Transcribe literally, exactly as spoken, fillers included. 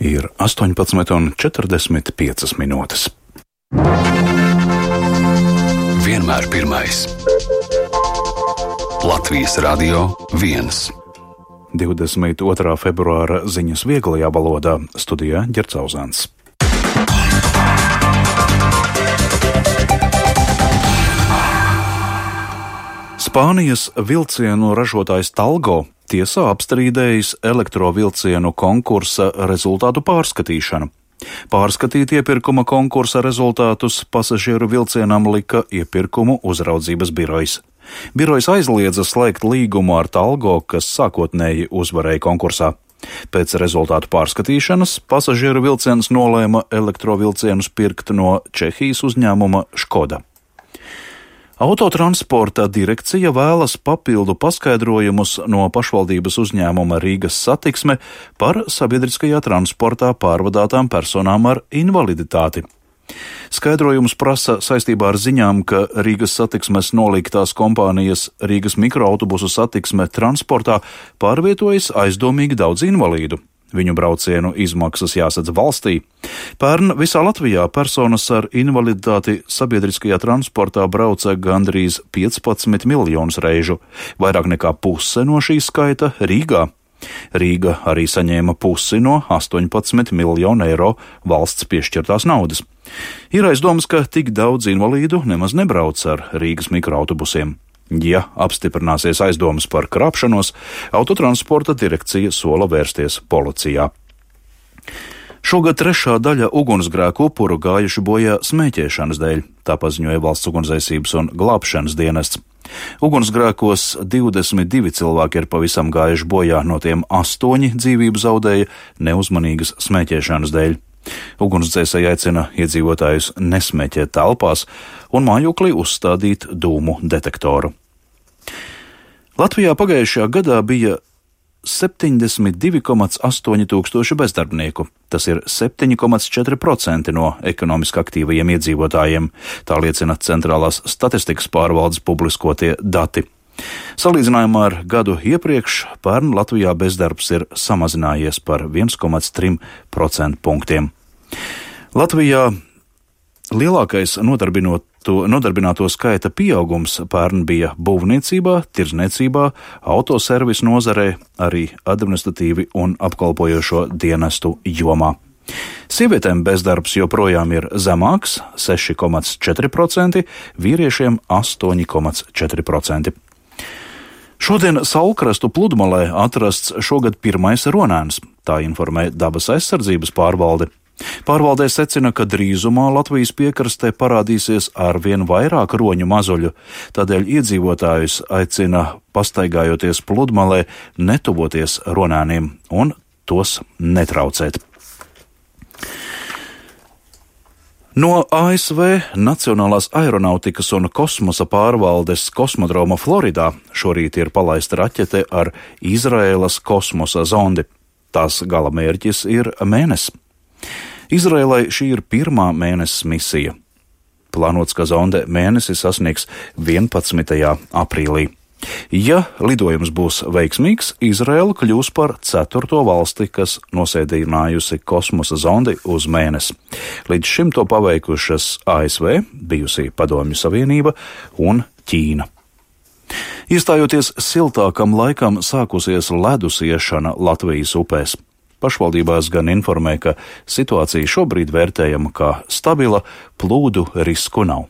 Ir astoņpadsmit un četrdesmit piecas minūtes. Vienmēr pirmais. Latvijas Radio viens. divdesmit otrā februāra ziņas vieglajā valodā, studijā Ģercauzāns. Spānijas vilcienu ražotājs Talgo tiesā apstrīdējis elektrovilcienu konkursa rezultātu pārskatīšanu. Pārskatīt iepirkuma konkursa rezultātus pasažieru vilcienam lika iepirkumu uzraudzības birojs. Birojs aizliedza slēgt līgumu ar Talgo, kas sākotnēji uzvarēja konkursā. Pēc rezultātu pārskatīšanas pasažieru vilciens nolēma elektrovilcienus pirkt no Čehijas uzņēmuma Škoda. Autotransporta direkcija vēlas papildu paskaidrojumus no pašvaldības uzņēmuma Rīgas Satiksme par sabiedriskajā transportā pārvadātām personām ar invaliditāti. Skaidrojums prasa saistībā ar ziņām, ka Rīgas Satiksmes nolīgtās kompānijas Rīgas mikroautobusu satiksme transportā pārvietojas aizdomīgi daudz invalīdu. Viņu braucienu izmaksas jāsadz valstī. Pērn visā Latvijā personas ar invaliditāti sabiedriskajā transportā brauca gandrīz piecpadsmit miljonus reižu, vairāk nekā puse no šī skaita Rīgā. Rīga arī saņēma pusi no astoņpadsmit miljonu eiro valsts piešķirtās naudas. Ir aizdomas, ka tik daudz invalīdu nemaz nebrauc ar Rīgas mikroautobusiem. Ja apstiprināsies aizdomas par krāpšanos, autotransporta direkcija sola vērsties policijā. Šogad trešā daļa ugunsgrēku upuru gājuši bojā smēķēšanas dēļ, tā paziņoja Valsts ugunsdzēsības un glābšanas dienests. Ugunsgrēkos divdesmit divi cilvēki ir pavisam gājuši bojā, no tiem astoņi dzīvību zaudēja neuzmanīgas smēķēšanas dēļ. Ugunsdzēsēji aicina iedzīvotājus nesmēķēt telpās un mājoklī uzstādīt dūmu detektoru. Latvijā pagājušajā gadā bija septiņdesmit divi komats astoņi tūkstoši bezdarbnieku. Tas ir septiņi komats četri procenti no ekonomiski aktīvajiem iedzīvotājiem, tā liecina Centrālās statistikas pārvaldes publiskotie dati. Salīdzinājumā ar gadu iepriekš pērn Latvijā bezdarbs ir samazinājies par viens komats tri procentu punktiem. Latvijā lielākais nodarbināto skaita pieaugums pērn bija būvniecībā, tirdzniecībā, autoservisu nozarē, arī administratīvi un apkalpojošo dienestu jomā. Sievietēm bezdarbs joprojām ir zemāks - seši komats četri procenti, vīriešiem astoņi komats četri procenti. Šodien Saulkrastu pludmalē atrasts šogad pirmais ronēns, tā informē Dabas aizsardzības pārvalde. Pārvaldē secina, ka drīzumā Latvijas piekrastē parādīsies arvien vairāk roņu mazuļu, tādēļ iedzīvotājus aicina, pastaigājoties pludmalē, netuvoties ronēniem un tos netraucēt. No A S V Nacionālās aeronautikas un kosmosa pārvaldes kosmodroma Floridā šorīt ir palaista raķete ar Izraēlas kosmosa zondi. Tās galamērķis ir Mēnesis. Izraēlai šī ir pirmā Mēnesis misija. Plānots, ka zonde Mēnesi sasniegs vienpadsmitajā aprīlī. Ja lidojums būs veiksmīgs, Izraēla kļūs par ceturto valsti, kas nosēdinājusi kosmosa zondi uz Mēnesi. Līdz šim to paveikušas A S V, bijusī Padomju Savienība un Ķīna. Iestājoties siltākam laikam, sākusies ledus iešana Latvijas upēs. Pašvaldībās gan informē, ka situācija šobrīd vērtējama kā stabila, plūdu risku nav.